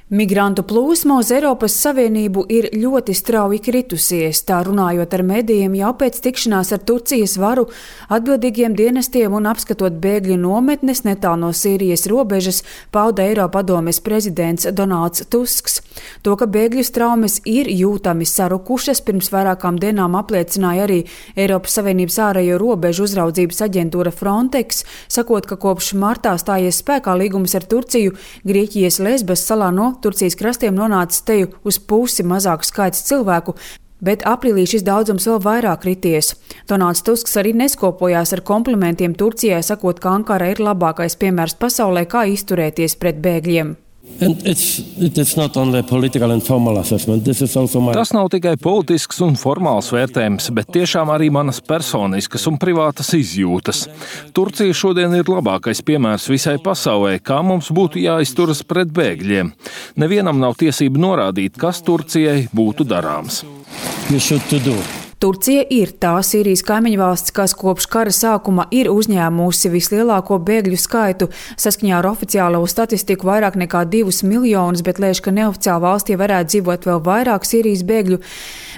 Migrantu plūsma uz Eiropas Savienību ir ļoti strauji kritusies, tā runājot ar medijiem jau pēc tikšanās ar Turcijas varu atbildīgiem dienestiem un apskatot bēgļu nometnes netālu no Sīrijas robežas, pauda Eiropadomes prezidents Donalds Tusks. To, ka bēgļu traumas ir jūtami sarukušas, pirms vairākām dienām apliecināja arī Eiropas Savienības ārējo robežu uzraudzības aģentūra Frontex, sakot, ka kopš martā stājies spēkā līgums ar Turciju, Grieķijas Lesbas salā no Turcijas krastiem nonācis teju uz pusi mazāks skaits cilvēku, bet aprīlī šis daudzums vēl vairāk krities. Donalds Tusks arī neskopojās ar komplimentiem Turcijai, sakot, ka Ankara ir labākais piemērs pasaulē, kā izturēties pret bēgļiem. Tas nav tikai politisks un formāls vērtējums, bet tiešām arī manas personiskas un privātas izjūtas. Turcija šodien ir labākais piemērs visai pasaulē, kā mums būtu jāizturas pret bēgļiem. Nevienam nav tiesība norādīt, kas Turcijai būtu darāms. Turcija ir tā Sīrijas kaimiņvalsts, kas kopš kara sākuma ir uzņēmusi vislielāko bēgļu skaitu. Saskaņā ar oficiālo statistiku vairāk nekā 2 miljonus, bet liekas, ka neoficiāli valstī varētu dzīvot vēl vairāk Sīrijas bēgļu.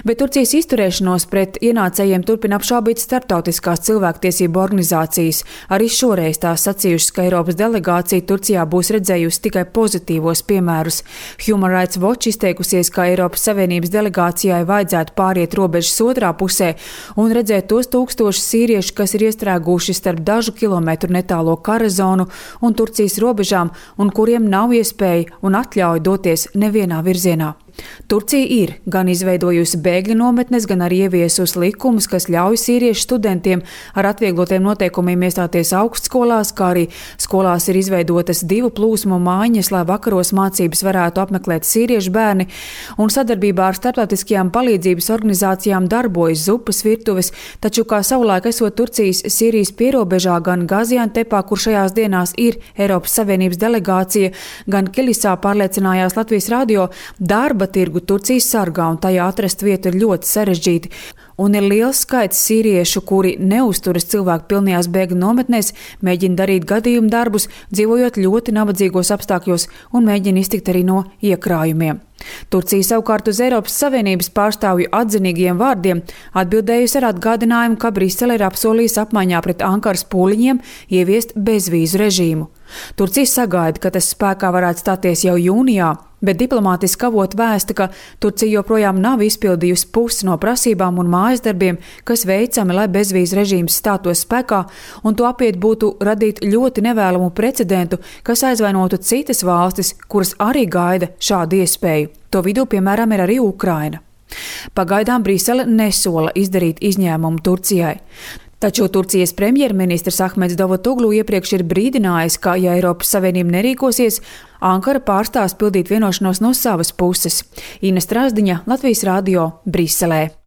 Bet Turcijas izturēšanos pret ienācējiem turpina apšaubīt starptautiskās cilvēktiesību organizācijas. Arī šoreiz tās sacījušas, ka Eiropas delegācija Turcijā būs redzējusi tikai pozitīvos piemērus. Human Rights Watch izteikusies, ka Eiropas Savienības delegācijai vajadzētu pāriet robežas otrā pusē un redzēt tos tūkstošus sīriešu, kas ir iestrēguši starp dažu kilometru netālo kara zonu un Turcijas robežām un kuriem nav iespēja un atļauja doties nevienā virzienā. Turcija ir gan izveidojusi bēgļu nometnes, gan arī ieviesusi likumus, kas ļauj sīriešu studentiem ar atvieglotiem noteikumiem iestāties augstskolās, kā arī skolās ir izveidotas 2 plūsmu mājiņas, lai vakaros mācības varētu apmeklēt sīriešu bērni, un sadarbībā ar starptautiskajām palīdzības organizācijām darbojas zupas virtuves, taču kā savulaik esot Turcijas Sīrijas pierobežā gan Gaziantepā, kur šajās dienās ir Eiropas Savienības delegācija, gan Kilisā pārliecinājās Latvijas radio, darba tirgu Turcijas sargā un tajā atrast vietu ir ļoti sarežģīti. Un ir liels skaits sīriešu, kuri neuzturas cilvēku pilnajās bēgļu nometnēs, mēģina darīt gadījumu darbus, dzīvojot ļoti nabadzīgos apstākļos un mēģina iztikt arī no iekrājumiem. Turcija savukārt uz Eiropas Savienības pārstāvju atzinīgiem vārdiem atbildējusi ar atgādinājumu, ka Brisele ir apsolījusi apmaiņā pret Ankaras pūliņiem ieviest bezvīzu režīmu. Turcija sagaida, ka tas spēkā varētu stāties jau jūnijā, bet diplomātiski avoti vēsta, ka Turcija joprojām nav izpildījusi pusi no prasībām un mājas darbiem, kas veicami, lai bezvīzu režīms stātos spēkā, un to apiet būtu radīt ļoti nevēlamu precedentu, kas aizvainotu citas valstis, kuras arī gaida šādu iespēju. To vidū, piemēram, ir arī Ukraina. Pagaidām Brisele nesola izdarīt izņēmumu Turcijai. Taču Turcijas premjerministrs Ahmeds Davutoglu iepriekš ir brīdinājis, ka, ja Eiropas Savienība nerīkosies, Ankara pārstās pildīt vienošanos no savas puses. Ina Strāzdiņa, Latvijas radio, Briselē.